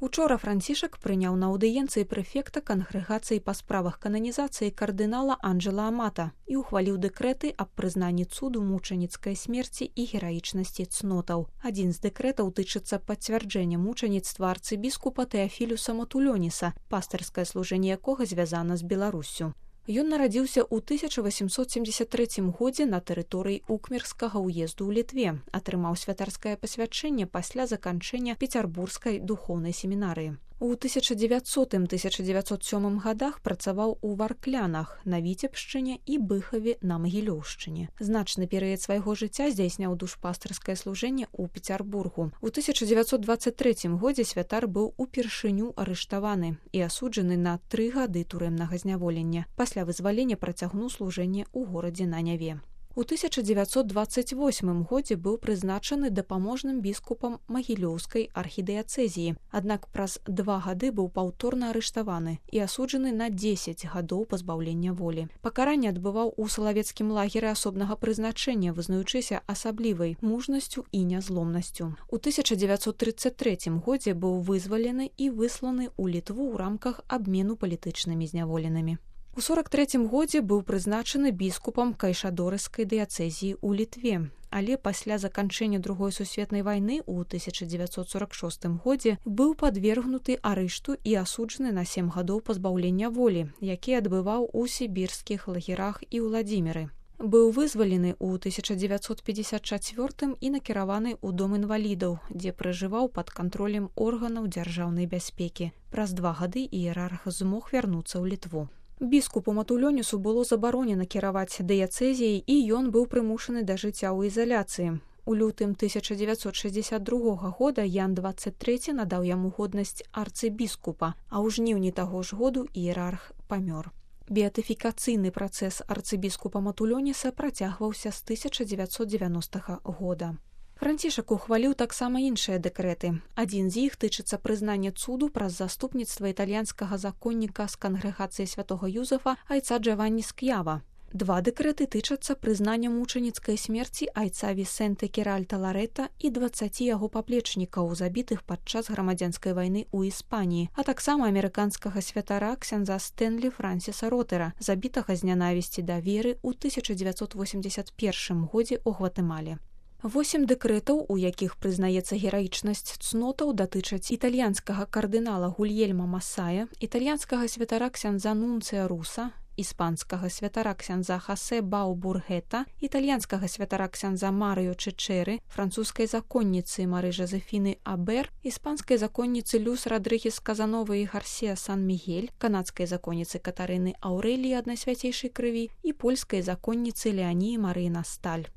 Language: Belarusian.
Учора Францішак прыняў на аўдыенцыі прэфекта кангрэгацыі па справах кананізацыі кардынала Анджела Амата і ухваліў дэкрэты аб прызнанні цуду мучаніцкай смерці і гераічнасці цнотаў. Адзін з дэкрэтаў тычыцца пацвярджэння мучаніцтва арцыбіскупа Тэафілюса Матулёніса, пастырскае служэнне якога звязана з Беларуссю. Ён нарадзіўся ў 1873 годзе на тэрыторыі Укмерскага ўезду ў Літве, атрымаў святарскае пасвячэнне пасля заканчэння Пецярбургскай духоўнай семінарыі. У 1900-1907 годах працаваў у Варклянах, на Віцебшчыне і Быхаве на Магілёўшчыне. Значны перыяд свайго жыцця здзяйсняў душпастырскае служэнне ў Пецярбургу. У 1923 годзе святар быў упершыню арыштаваны і асуджаны на 3 гады турэмнага зняволення. Пасля вызвалення працягнуў служэнне ў горадзе на Няве. У 1928 годзе быў прызначаны дапаможным біскупам Магілёўскай архідыяцэзіі, аднак праз 2 гады быў паўторна арыштаваны і асуджаны на 10 гадоў пазбаўлення волі. Пакаранне адбываў у салавецкім лагеры асобнага прызначэння, вызнаючыся асаблівай мужнасцю і нязломнасцю. У 1933 годзе быў вызвалены і высланы ў Літву ў рамках абмену палітычнымі зняволенымі. У 1943 годзе быў прызначаны біскупам Кайшадорыскай дыяцэзіі ў Літве, але пасля заканчэння Другой сусветнай вайны ў 1946 годзе быў падвергнуты арышту і асуджаны на 7 гадоў пазбаўлення волі, які адбываў у сібірскіх лагерах і Уладзіміры. Быў вызвалены ў 1954 і накіраваны ў дом інвалідаў, дзе пражываў пад кантролем органаў дзяржаўнай бяспекі. Праз 2 гады іерарх змог вярнуцца ў Літву. Біскупу Матулёнісу было забаронена кіраваць дыяцэзіяй, і ён быў прымушаны да жыцця ў изаляцыі. У лютым 1962 года Ян XXIII надаў яму годнасць арцыбіскупа, а ў жніўні таго ж году іерарх памёр. Беатыфікацыйны працэс арцыбіскупа Матулёніса працягваўся з 1990 года. Францішак ухваліў таксама іншыя дэкрэты. Адзін з іх тычыцца прызнання цуду праз заступніцтва італьянскага законніка з кангрэгацыі святога Юзефа айца Джаванні Ск'ява. 2 дэкрэты тычацца прызнання мучаніцкай смерці айца Вісенте Керальта Ларэта і 20 яго паплечнікаў, забітых падчас грамадзянскай вайны ў Іспаніі, а таксама амерыканскага святара ксяндза Стэнлі Франсіса Ротера, забітага з нянавісці да веры ў 1981 годзе ў Гватэмале. 8 дэкрэтаў, у якіх прызнаецца гераічнасць цнотаў, датычаць італьянскага кардынала Гульельма Масая, італьянскага святара ксяндза Нунцыя Руса, іспанскага святара ксяндза Хасе Бау-Бургета, італьянскага святара ксяндза Марыо Чечеры, французскай законніцы Мары Жозефіны Абер, іспанскай законніцы Люс Радрыгес Казановы і Гарсія Сан-Мігель, канадскай законніцы Катарыны Аўрэліі Аднасвяцейшай крыві і польскай законніцы Леаніі Марыі Насталь.